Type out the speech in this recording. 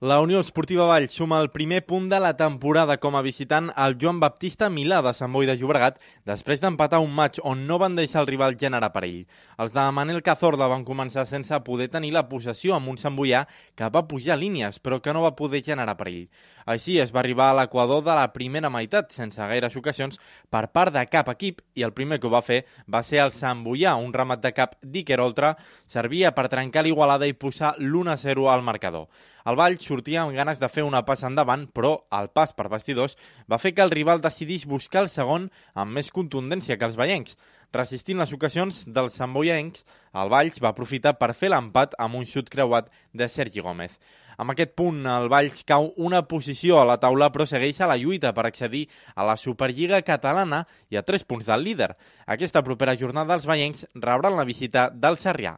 La Unió Esportiva Valls suma el primer punt de la temporada com a visitant al Joan Baptista Milà de Sant Boi de Llobregat després d'empatar un maig on no van deixar el rival generar perill. Els de Manel Cazorla van començar sense poder tenir la possessió amb un santboià que va pujar línies però que no va poder generar perill. Així es va arribar a l'equador de la primera meitat sense gaires ocasions per part de cap equip i el primer que ho va fer va ser el santboià, un remat de cap d'Iker Oltra servia per trencar l'igualada i posar l'1-0 al marcador. El Valls sortia amb ganes de fer una passa endavant, però el pas per vestidors va fer que el rival decidís buscar el segon amb més contundència que els vallencs. Resistint les ocasions dels santboiencs, el Valls va aprofitar per fer l'empat amb un xut creuat de Sergi Gómez. Amb aquest punt, el Valls cau una posició a la taula però segueix a la lluita per accedir a la Superliga catalana i a 3 punts del líder. Aquesta propera jornada els vallencs rebran la visita del Sarrià.